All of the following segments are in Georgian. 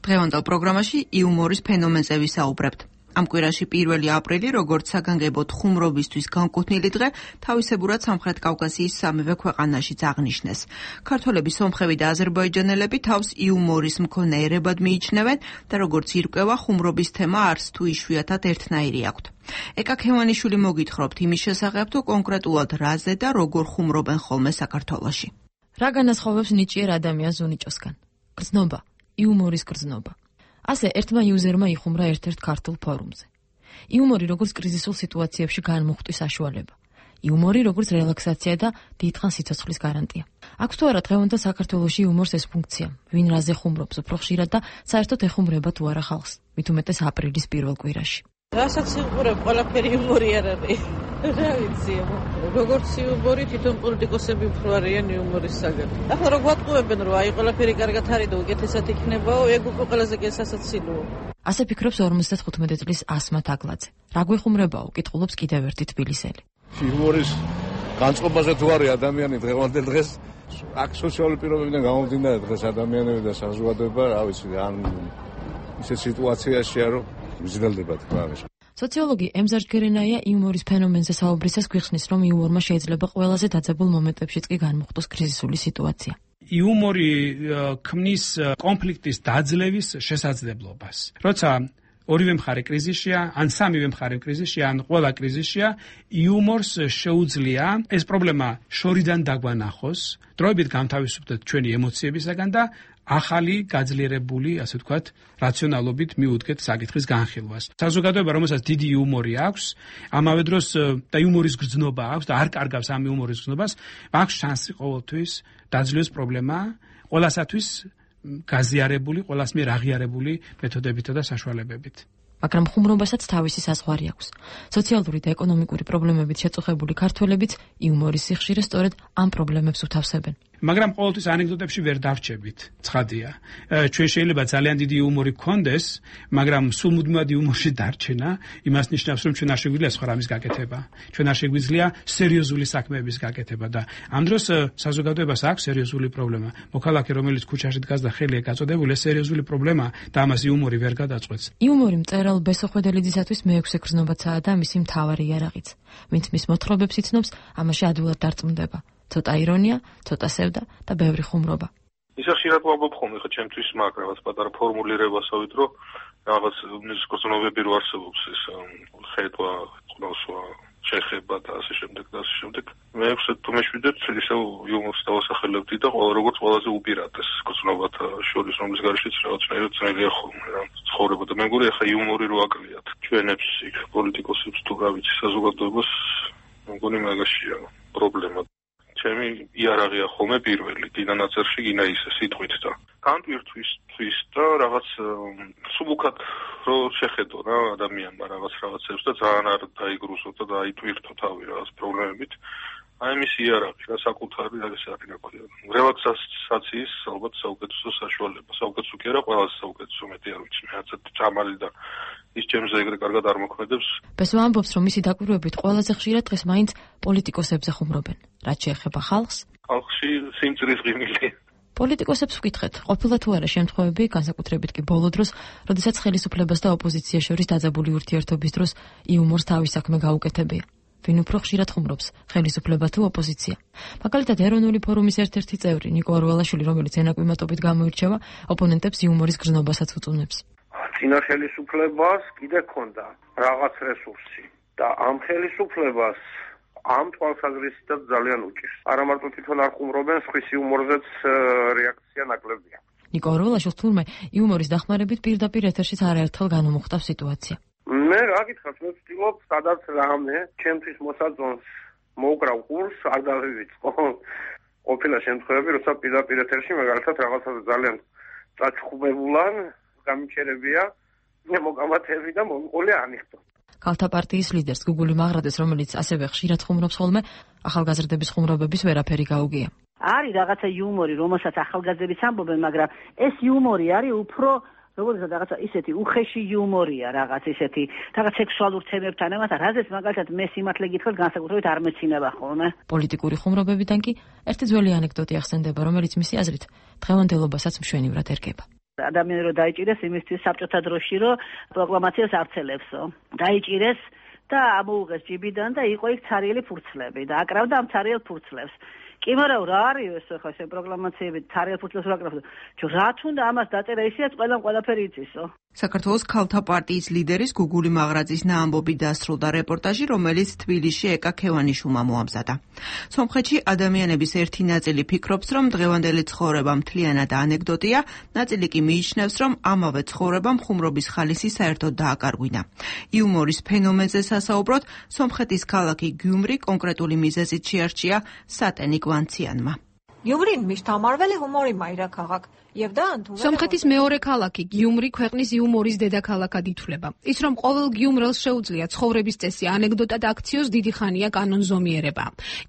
დღევანდელ პროგრამაში იუმორის ფენომენზე ვისაუბრებთ. Am კვირაში 1 აპრილი, როგორც საგანგებოდ ხუმრობისთვის განკუთვნილი დღე, თავისებურად სამხრეთ კავკასიის სამივე ქვეყანაშიც აღნიშნეს. ქართველები, სომხები და აზერბაიჯანელები თავს იუმორის მქონე ერებად მიიჩნევენ და როგორც ირკვევა, ხუმრობის თემა არც თუ იშვიათად ერთნაირი აქვთ. ეკა ქევანიშვილი მოგითხრობთ იმის შესახებ, თუ კონკრეტულად რაზე და როგორ ხუმრობენ ხოლმე საქართველოში. რა განასხვავებს ნიჭიერ ადამიანს ზუნიჭოსგან? გრძნობა, იუმორის გრძნობა. ასე ერთმა იუზერმა იხუმრა ერთ-ერთ ქართულ ფორუმზე. იუმორი როგორც კრიზისულ სიტუაციებში განმუხტვის საშუალება. იუმორი როგორც რელაქსაცია და დიდხან სიცოცხლის გარანტია. აქვს თუ არა დღევანდელ საქართველოში იუმორს ეს ფუნქცია? ვინ რაზე ხუმრობს უფრო ხშირად და საერთოდ ეხუმრება თუ არა ხალხს? მით უმეტეს აპრილის პირველ კვირაში. რასაც იხუმრებ, ყველაფერი იუმორი არ არის. რა ვიცი, როგორც იუმორი თვითონ პოლიტიკოსები უფრო არიან იუმორის საგან. ახლა რო გვატყუებენ, რომ აი ყველაფერი კარგად არის და უკეთესად იქნებაო, ეგ უკვე ყველაზე გასასაცილოა. ასე ფიქრობს 55 წლის ასმათ აგლაძე. რა გვეხუმრებაო, კითხულობს კიდევ ერთი თბილისელი. იუმორის განწყობაზე თუ არის ადამიანი დღევანდელ დღეს, აქ სოციალური პირობებიდან გამომდინარე დღეს ადამიანები და საზოგადოება, რა ვიცი, ან ისეთ სიტუაციაშია, რომ მიზრელდება თქვა. სოციოლოგი ემზარ ჯგერენაია იუმორის ფენომენზე საუბრისას გვიხსნის, რომ იუმორმა შეიძლება ყველაზე დაძაბულ მომენტებშიც კი განმუხტოს კრიზისული სიტუაცია. იუმორი ქმნის კონფლიქტის დაძლევის შესაძლებლობას. როცა ორივე მხარე კრიზისშია, ან სამივე მხარე კრიზისშია, ან ყველა კრიზისშია, იუმორს შეუძლია ეს პრობლემა შორიდან დაგვანახოს, დროებით გამთავისუფლდეთ ჩვენი ემოციებისაგან და ახალი გაძლიერებული, ასე ვთქვათ, რაციონალობით მიუდგეთ საკითხის განხილვას. საზოგადოება, რომელსაც დიდი იუმორი აქვს, ამავე დროს და იუმორის გრძნობა აქვს და არ კარგავს ამ იუმორის გრძნობას, აქვს შანსი ყოველთვის დაძლევს პრობლემა ყველასათვის გაზიარებული, ყველას მიერ აღიარებული მეთოდებითა და საშუალებებით. მაგრამ ხუმრობასაც თავისი საზღვარი აქვს. სოციალური და ეკონომიკური პრობლემებით შეწუხებული ქართველებიც იუმორის სიხშირე სწორედ ამ პრობლემებს უთავსებენ. მაგრამ ყოველთვის ანეკდოტებში ვერ დავრჩებით. ცხადია. ჩვენ შეიძლება ძალიან დიდი იუმორი გქონდეს, მაგრამ სულ მუდმივად იუმორში დარჩენა იმას ნიშნავს, რომ ჩვენ არ შეგვიძლია სხვა რამის გაკეთება. ჩვენ არ შეგვიძლია სერიოზული საქმეების გაკეთება და ამ დროს საზოგადოებას აქვს სერიოზული პრობლემა. მოქალაქე, რომელიც ქუჩაში დგას და ხელია გაწოდებული, ეს სერიოზული პრობლემა და ამას იუმორი ვერ გადაწყვეტს. იუმორი მწერალ ბესო ხვედელიძისათვის მეექვსე გრძნობაცაა და მისი მთავარი იარაღიც. ვინც მის მოთხრობებს იცნობს, ამაში ადვილად დარწმუნდება. ცოტა ირონია, ცოტა სევდა და ბევრი ხუმრობა. ისა ხშირად ვამბობ ხოლმე ხა ჩემთვის მაგ რაღაც პატარა ფორმულირებასავით, რომ რაღაც გრძნობები რო არსებობს ეს ხედვა, ყნოსვა, შეხება და ასე შემდეგ და ასე შემდეგ. მე თუ მეშვიდეთ, ისევ იუმორს დავასახელებდი და როგორც ყველაზე უპირატეს გრძნობათა შორის, რომლის გარშეც რაღაცნაირად ძნელია ხოლმე რა ცხოვრება და მე მგონი ხა იუმორი რო აკლიათ ჩვენებს იქ პოლიტიკოსებს თუ რა ვიცი საზოგადოებას, მე მგონი მაგაშია პრობლემა. ჩემი იარაღია ხოლმე პირველი, გინა ნაწერში, გინა ისე სიტყვით და განტვირთვის და რაღაც სუბუქად რო შეხედო რა ადამიანმა რაღაცებს და ძალიან არ დაიგრუსო და დაიტვირთო თავი რაღაც პრობლემებით. აი მის იარაღი რა საკუთარი არის აკრაკია. რელაქსაციის ალბათ საუკეთესო საშუალება. საუკეთესო კი არა, ყველაზე საუკეთესო მეტი არ ვიცი, მე არც წამალი და ის ჩემზე ეგრე კარგად არ მოქმედებს. ბესო ამბობს, რომ მისი დაკვირვებით ყველაზე ხშირად დღეს მაინც პოლიტიკოსებზე ხუმრობენ. რაც შეეხება ხალხს? ხალხში სიმწრის ღიმილი. პოლიტიკოსებს ვკითხეთ, ყოფილა თუ არა შემთხვევები, განსაკუთრებით კი ბოლო დროს, როდესაც ხელისუფლებას და ოპოზიციას შორის დაძაბული ურთიერთობის დროს იუმორს თავის საქმე გაუკეთებია. ვინ უფრო ხშირად ხუმრობს, ხელისუფლება თუ ოპოზიცია? მაგალითად, ეროვნული ფორუმის ერთ-ერთი წევრი ნიკო ორველაშვილი, რომელიც ენაკვიმატობით გამოირჩევა, ოპონენტებს იუმორის გრძნობასაც უწუნებს. წინა ხელისუფლებას კიდე ქონდა რაღაც რესურსი და ამ ხელისუფლებას ამ თვალსაზრისითაც ძალიან უჭირს. არა მარტო თვითონ არ ხუმრობენ, სხვის იუმორზეც რეაქცია ნაკლებია. ნიკო ორველაშვილს თურმე იუმორის დახმარებით პირდაპირ ეთერშიც არაერთხელ განმოხტავს სიტუაცია. მე რა გითხრათ, მე ვცდილობ სადაც რამე ჩემთვის მოსაწონს მოუკრავ ყურს, არ დავივიწყო. ყოფილა შემთხვევები, როცა პირდაპირ ეთერში მაგალითად რაღაცაზე ძალიან წაჩხუბებულან გამიჩერებია, მე მოგამათები და მომყოლე ანიხტო. ქალთა პარტიის ლიდერს გუგული მაღრადეს, რომელიც ასევე ხშირად ხუმრობს ხოლმე, ახალგაზრდების ხუმრობების ვერაფერი გაუგია. არის რაღაცა იუმორი, რომელსაც ახალგაზრდებიც ამბობენ, მაგრამ ეს იუმორი არის უფრო როდესაც რაღაცა ისეთი უხეში იუმორია, რაღაც ისეთი, რაღაც სექსუალურ თემებთან ამათან, რაზეც მაგალითად მე სიმართლე გითხრათ, განსაკუთრებით არ მეცინება ხოლმე. პოლიტიკური ხუმრობებიდან კი ერთი ძველი ანეკდოტი ახსენდება, რომელიც მისი აზრით დღევანდელობასაც მშვენივრად ერგება. ადამიანი რომ დაიჭირეს იმისთვის საბჭოთა დროში რომ პროკლამაციას არცელებსო. დაიჭირეს და ამოუღეს ჯიბიდან და იყო იქ ცარიელი ფურცლები და აკრავდა ამ ცარიელ ფურცლებს. კი მაგრამ რა არის ეს ხო ეს პროკლამაციები ცარიელ ფურცლებს რა აკრავდა? რა თუნდა ამას დაწერა ისეაც ყველაფერი იცისო. საქართველოს ქალთა პარტიის ლიდერის გუგული მაღრაძის ნაამბობი დასრულდა რეპორტაჟი, რომელიც თბილისში ეკა ქევანიშვილმა მოამზადა. სომხეთში ადამიანების ერთი ნაწილი ფიქრობს, რომ დღევანდელი ცხოვრება მთლიანად ანეკდოტია, ნაწილი კი მიიჩნევს, რომ ამავე ცხოვრებამ ხუმრობის ხალისი საერთოდ დააკარგვინა. იუმორის ფენომენზე სასაუბროდ, სომხეთის ქალაქი გიუმრი კონკრეტული მიზეზით შეარჩია სატენი გვანციანმა. გიუმრი მიშთამარველი ჰუმორი მაირა ქაღაკ. სომხეთის მეორე ქალაქი გიუმრი ქვეყნის იუმორის დედაქალაქად ითვლება. ის რომ ყოველ გიუმრელს შეუძლია ცხოვრების წესი ანეკდოტად აქციოს დიდი ხანია კანონზომიერება.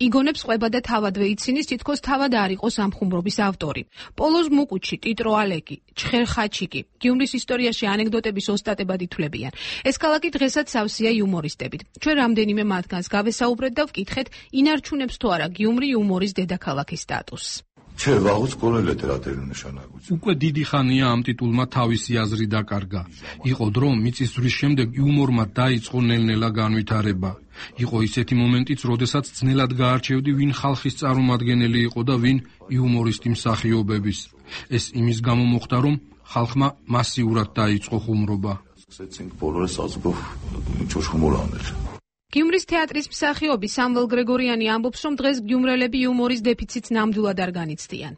იგონებს ყვება და თავადვე იცინის თითქოს თავად არ იყოს ამ ხუმრობის ავტორი. პოლოზ მუკუჩი, ტიტრო ალეკი, ჩხერხაჩიკი გიუმრის ისტორიაში ანეკდოტების ოსტატებად ითვლებიან. ეს ქალაქი დღესაც სავსეა იუმორისტებით. ჩვენ რამდენიმე მათგანს გავესაუბრეთ და ვკითხეთ, ინარჩუნებს თუ არა გიუმრი იუმორის დედაქალაქის სტატუსს. უკვე დიდი ხანია ამ ტიტულმა თავისი აზრი დაკარგა. იყო დრო, მიწისძვრის შემდეგ იუმორმა დაიწყო ნელ-ნელა განვითარება. იყო ისეთი მომენტიც, როდესაც ძნელად გაარჩევდი, ვინ ხალხის წარმომადგენელი იყო და ვინ იუმორისტი მსახიობების. ეს იმის გამო მოხდა, რომ ხალხმა მასიურად დაიწყო ხუმრობა. გიუმრის თეატრის მსახიობი სამվել გრეგორიანი ამბობს, რომ დღეს გიუმრელები იუმორის დეფიციტს ნამდვილად არ განიცდიან.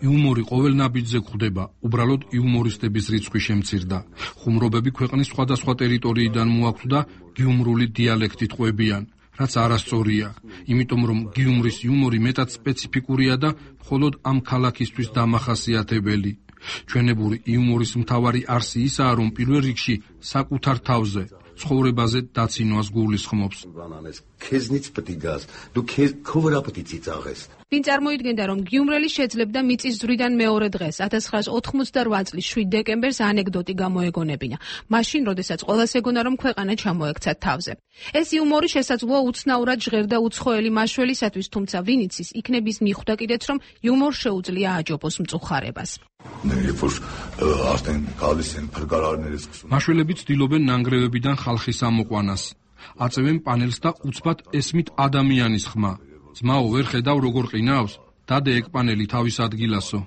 იუმორი ყოველ ნაბიჯზე გვხვდება, უბრალოდ იუმორისტების რიცხვი შემცირდა. ხუმრობები ქვეყნის სხვადასხვა ტერიტორიიდან მოაქვთ და გიუმრული დიალექტით ყვებიან, რაც არასწორია, იმიტომ რომ გიუმრის იუმორი მეტად სპეციფიკურია და მხოლოდ ამ ქალაქისთვის დამახასიათებელი. ჩვენებური იუმორის მთავარი არსი ისაა, რომ პირველ რიგში საკუთარ თავზე, ცხოვრებაზე დაცინვას გულისხმობს. ვინ წარმოიდგენდა, რომ გიუმრელი შეძლებდა მიწისძვრიდან მეორე დღეს, 1988 წლის 7 დეკემბერს ანეკდოტი გამოეგონებინა. მაშინ, როდესაც ყველას ეგონა, რომ ქვეყანა ჩამოექცა თავზე. ეს იუმორი შესაძლოა უცნაურად ჟღერდა უცხოელი მაშველისათვის, თუმცა ვინ იცის, იქნების მიხვდა კიდეც, რომ იუმორ შეუძლია აჯობოს მწუხარებას. მაშველები ცდილობენ ნანგრევებიდან ხალხის ამოყვანას. აწევენ პანელს და უცბად ესმით ადამიანის ხმა. ძმაო, ვერ ხედავ როგორ ყინავს? დადე ეგ პანელი თავის ადგილასო.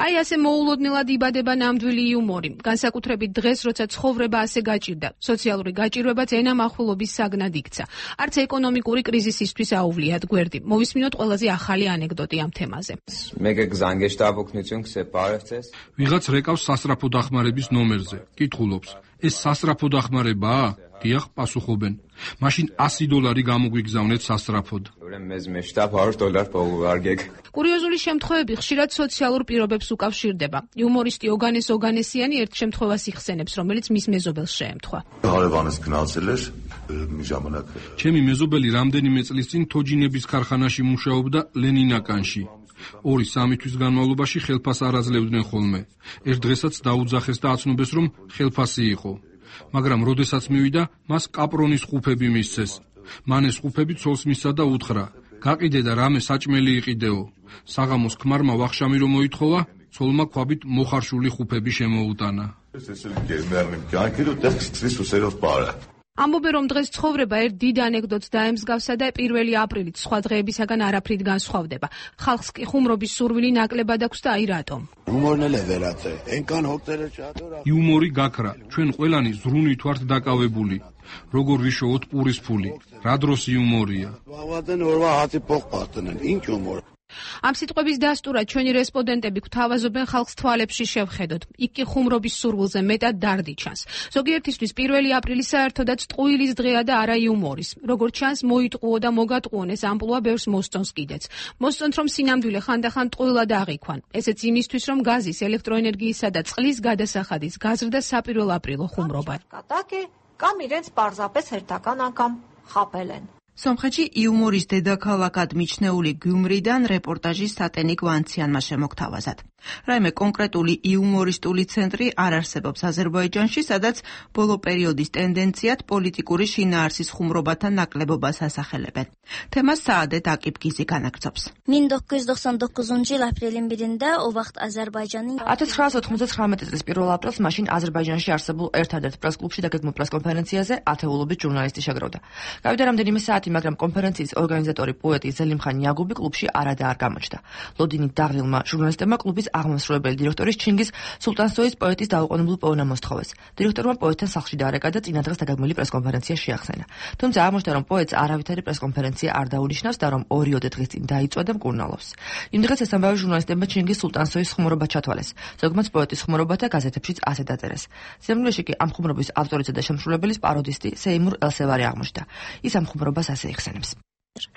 აი ასე მოულოდნელად იბადება ნამდვილი იუმორი. განსაკუთრებით დღეს, როცა ცხოვრება ასე გაჭირდა. სოციალური გაჭირვებაც ენამახვილობის საგნად იქცა. არც ეკონომიკური კრიზისისთვის აუვლიათ გვერდი. მოვისმინოთ ყველაზე ახალი ანეკდოტი ამ თემაზე. ვიღაც რეკავს სასწრაფო დახმარების ნომერზე. კითხულობს, ეს სასწრაფო დახმარებაა? დიახ, პასუხობენ. მაშინ $100 გამოგვიგზავნეთ სასწრაფოდ. კურიოზული შემთხვევები ხშირად სოციალურ პირობებს უკავშირდება. იუმორისტი ოგანეს ოგანესიანი ერთ შემთხვევას იხსენებს, რომელიც მის მეზობელს შეემთხვა. ჩემი მეზობელი რამდენიმე წლის წინ თოჯინების ქარხანაში მუშაობდა ლენინაკანში. 2-3 თვის განმავლობაში ხელფას არ აძლევდნენ ხოლმე. ერთ დღესაც დაუძახეს და აცნობეს, რომ ხელფასი იყო. მაგრამ როდესაც მივიდა, მას კაპრონის ხუფები მისცეს. მან ეს ხუფები ცოლს მისცა და უთხრა: გაყიდე და რამე საჭმელი იყიდეო. საღამოს ქმარმა ვახშამი რომ მოითხოვა, ცოლმა ქვაბით მოხარშული ხუფები შემოუტანა. ამბობენ, რომ დღეს ცხოვრება ერთ დიდ ანეკდოტს დაემსგავსა და 1 აპრილით სხვა დღეებისაგან არაფრით განსხვავდება. ხალხს კი ხუმრობის სურვილი ნაკლებად აქვს და აი რატომ. იუმორი გაქრა, ჩვენ ყველანი ზრუნვით ვართ დაკავებული. როგორ ვიშოვოთ პურის ფული? რა დროს იუმორია? ამ სიტყვების დასტურად ჩვენი რესპონდენტები გვთავაზობენ ხალხს თვალებში შევხედოთ. იქ კი ხუმრობის სურვილზე მეტად დარდი ჩანს. ზოგიერთისთვის 1 აპრილი საერთოდაც ტყუილის დღეა და არა იუმორის. როგორც ჩანს, მოიტყუო და მოგატყუონ ეს ამპლუა ბევრს მოსწონს კიდეც. მოსწონთ, რომ სინამდვილე ხანდახან ტყუილად აღიქვან. ესეც იმისთვის, რომ გაზის, ელექტროენერგიისა და წყლის გადასახადის გაზრდა საპირველ აპრილო ხუმრობა. კამ իրենց պարզապես հերթական անգամ խապել են. სომხეთში იუმორის დედაქალაქად მიჩნეული გიუმრიდან რეპორტაჟი სატენი გვანციანმა შემოგთავაზათ. რაიმე კონკრეტული იუმორისტული ცენტრი არ არსებობს აზერბაიჯანში, სადაც ბოლო პერიოდის ტენდენციად პოლიტიკური შინაარსის ხუმრობათა ნაკლებობას ასახელებენ. თემას საადეთ აკიფგიზი განაგრძობს. 1999 жыл апрелин 1-інде o vaxt Azərbaycanın 1999 წლის 1 აპრილს მაშინ აზერბაიჯანში არსებულ ერთადერთ პრეს-კლუბში დაგეგმილ პრეს-კონფერენციაზე ათეულობით ჟურნალისტი შეგროვდა. გავიდა რამდენიმე საათი, მაგრამ კონფერენციის ორგანიზატორი პოეტი ზელიმხან იაგუბი კლუბში არადაა გამოჩნდა. ლოდინით დაღლილმა ჟურნალისტებმა კლუბის აღმასრულებელი დირექტორის ჩინგიზ სულტანსოის პოეტის დაუყოვნებლივ პოვნა მოსთხოვეს. დირექტორმა პოეტთან სახლში დაარეკა და წინა დღეს დაგეგმილი პრეს-კონფერენცია შეახსენა. თუმცა აღმოჩნდა, რომ პოეტს არავითარი პრეს-კონფერენცია არ დაუნიშნავს და რომ 2 დღის წინ დაიწვა და მკურნალობს. იმ დღეს ეს ამბავი ჟურნალისტებმა ჩინგიზ სულტანსოის ხუმრობა ჩათვალეს. ზოგმაც პოეტის ხუმრობათა გაზეთებშიც ასე დაწერეს. ზემლეში კი ამ ხუმრობის ავტორიცა და შემსრულებელის პაროდისტი სეიმურ ელსევარი აღმოჩნდა. ის ამ ხუმრობას ასე იხსენებს.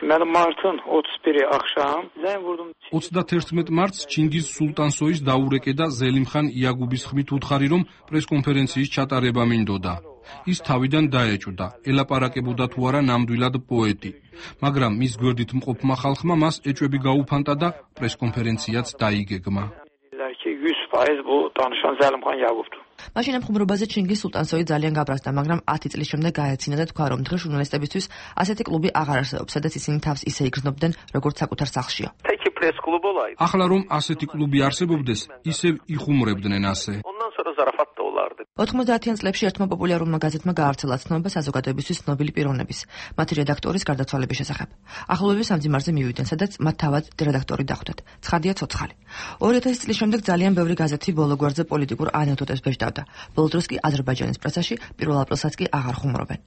Mən martın 31-i axşam zəng vurdum. 31 მარტს ჩინგიზ სულტანსოის დაურეკე და ზელიმხან იაგუბის ხმით უთხარი, რომ პრეს-კონფერენციის ჩატარება მინდოდა. ის თავიდან დაეჭვდა, ელაპარაკებოდა თუ არა ნამდვილად პოეტი. მაგრამ მის გვერდით მყოფმა ხალხმა მას ეჭვები გაუფანტა და პრეს-კონფერენციაც დაიგეგმა. 100% bu danışan Zəlimxan Yaqubdur. მაშინ ამ ხუმრობაზე ჩინგიზ სულტანსოი ძალიან გაბრაზდა, მაგრამ 10 წლის შემდეგ გაეცინა და თქვა, რომ დღეს ჟურნალისტებისთვის ასეთი კლუბი აღარ არსებობს, სადაც ისინი თავს ისე იგრძნობდნენ, როგორც საკუთარ სახლშია. ახლა რომ ასეთი კლუბი არსებობდეს, ისევ იხუმრებდნენ ასე. 90-იან წლებში ერთმა პოპულარულმა გაზეთმა გაავრცელა ცნობა საზოგადოებისთვის ცნობილი პიროვნების, მათი რედაქტორის გარდაცვალების შესახებ. ახლობლების ამ ძიმარზე მივიდნენ, სადაც მათ თავად რედაქტორი დახვდათ. ცხადია ცოცხალი. 2000 წლის შემდეგ ძალიან ბევრი გაზეთი ბოლო გვერდზე პოლიტიკურ ანეკდოტებს ბეჭდავდა. ბოლო დროს კი აზერბაიჯანის პრესაში 1 აპრილსაც კი აღარ ხუმრობენ.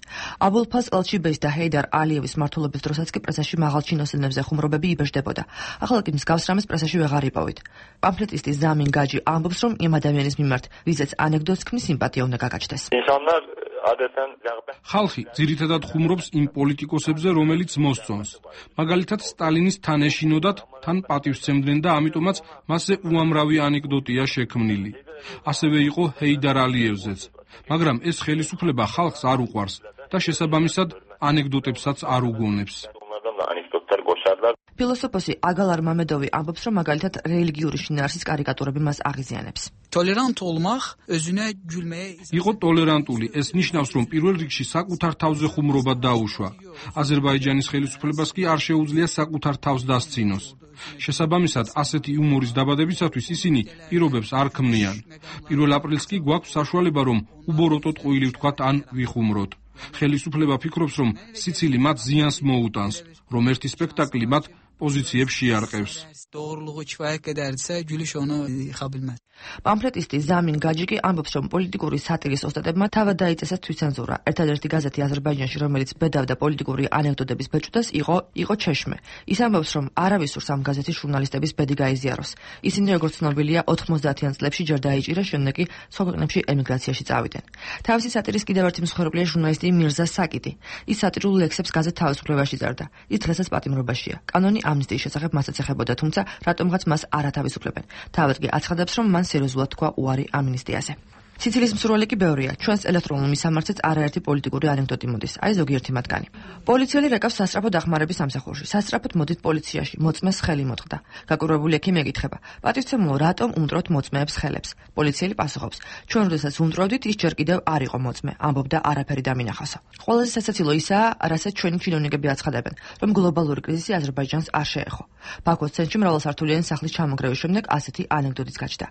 აბულფაზ ელჩიბეის და ჰეიდარ ალიევის მმართველობის დროსაც კი პრესაში მაღალ ჩინოსნებზე ხუმრობები იბეჭდებოდა. ახლა კი მსგავს რამეს პრესაში ვეღარ იპოვით. პამფლეტისტი ზამინ გაჯი ამბობს, რომ იმ ადამიანის მიმართ, ვიზეც ანეკდოტს ქმნის, სიმპათია უნდა გაგაჩნდეს. ხალხი ძირითადად ხუმრობს იმ პოლიტიკოსებზე, რომელიც მოსწონს. მაგალითად, სტალინის თან ეშინოდათ, თან პატივსცემდნენ და ამიტომაც მასზე უამრავი ანეკდოტია შექმნილი. ასევე იყო ჰეიდარ ალიევზეც. მაგრამ ეს ხელისუფლება ხალხს არ უყვარს და შესაბამისად ანეკდოტებსაც არ უგონებს. ფილოსოფოსი აგალარ მამედოვი ამბობს, რომ მაგალითად რელიგიური შინაარსის კარიკატურები მას აღიზიანებს. Tolerant olmaq özünə gülməyə იყო ტოლერანტული. ეს ნიშნავს, რომ პირველ რიგში საკუთარ თავზე ხუმრობა დაუშვა. აზერბაიჯანის ხელისუფლებას კი არ შეუძლია საკუთარ თავს დასცინოს. შესაბამისად, ასეთი იუმორის დაბადებისათვის ისინი პირობებს არ ქმნიან. 1 აპრილს კი გვაქვს საშუალება, რომ უბოროტოთ ყუილი ვთქვათ ან ვიხუმროთ. ხელისუფლება ფიქრობს, რომ სიცილი მათ ზიანს მოუტანს, რომ ერთი სპექტაკლი მათ პოზიციებს შეარყევს. Doğruluğu kifayət qədərdirsə, gülüş onu yıxa bilməz. პამფლეტისტი ზამინ გაჯიკი ამბობს, რომ პოლიტიკური სატირის ოსტატებმა თავად დაიწესა თვითცენზურა. ერთადერთი გაზეთი აზერბაიჯანში, რომელიც ბედავდა პოლიტიკური ანეკდოტების ბეჭდას, იყო ჩეშმე. ის ამბობს, რომ არავის სურს ამ გაზეთის ჟურნალისტების ბედი გაიზიაროს. ისინი, როგორც ცნობილია, 90-იან წლებში ჯერ დაიჭირეს, შემდეგ კი სხვა ქვეყნებში ემიგრაციაში წავიდნენ. თავისი სატირის კიდევ ერთი მსხვერპლია ჟურნალისტი მირზა საკიტი. ის სატირულ ლექსებს გაზეთ თავისუფლებაში წერდა. ის დღესაც პატიმრობაშია. კანონი ამნისტიის შესახებ მასაც ეხებოდა, თუმცა რატომღაც მას არ ათავისუფლებენ. თავად კი აცხადებს, რომ მან სერიოზულად თქვა უარი ამნისტიაზე. სიცილის მსურველი კი ბევრია. ჩვენს ელექტრონულ მისამართზეც არაერთი პოლიტიკური ანეკდოტი მოდის. აი ზოგიერთი მათგანი. პოლიციელი რეკავს სასწრაფო დახმარების სამსახურში. სასწრაფოდ მოდით პოლიციაში, მოწმეს ხელი მოწყდა. გაკურვებული ექიმი ეკითხება: პატივცემულო, რატომ უმტროთ მოწმეებს ხელებს? პოლიციელი პასუხობს: ჩვენ როდესაც უმტროდით, ის ჯერ კიდევ არ იყო მოწმე, ამბობდა არაფერი დამინახასო. ყველაზე სასაცილო ისაა, რასაც ჩვენი ჩინოვნიკები აცხადებენ, რომ გლობალური კრიზისი აზერბაიჯანს არ შეეხო. ბაქოს ცენტრში მრავალსართულიანი სახლის ჩამონგრევის შემდეგ ასეთი ანეკდოტიც გაჩნდა.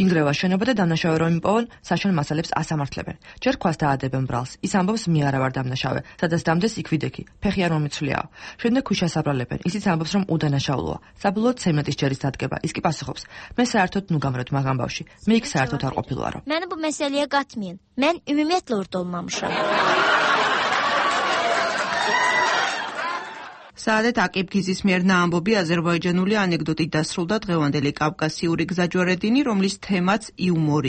ინგრევა შენობა და დამნაშავე რომ იმპოვონ, საშენ მასალებს ასამართლებენ. ჯერ ქვას დაადებენ ბრალს. ის ამბობს, მე არა ვარ დამნაშავე, სადაც დამდეს იქ ვიდექი. ფეხი არ მომიცვლიაო. შემდეგ ქვიშას აბრალებენ. ისიც ამბობს, რომ უდანაშაულოა. საბოლოოდ ცემენტის ჯერის დადგება. ის კი პასუხობს: მე საერთოდ ნუ გამრეთ მაგ ამბავში. მე იქ საერთოდ არ ყოფილვარო. Məni bu məsələyə qatmayın. Mən ümumiyyətlə orada olmamışam. საადეთ აკიფგიზის მიერ ნაამბობი აზერბაიჯანული ანეკდოტით დასრულდა დღევანდელი კავკასიური გზაჯვარედინი, რომლის თემაც იუმორი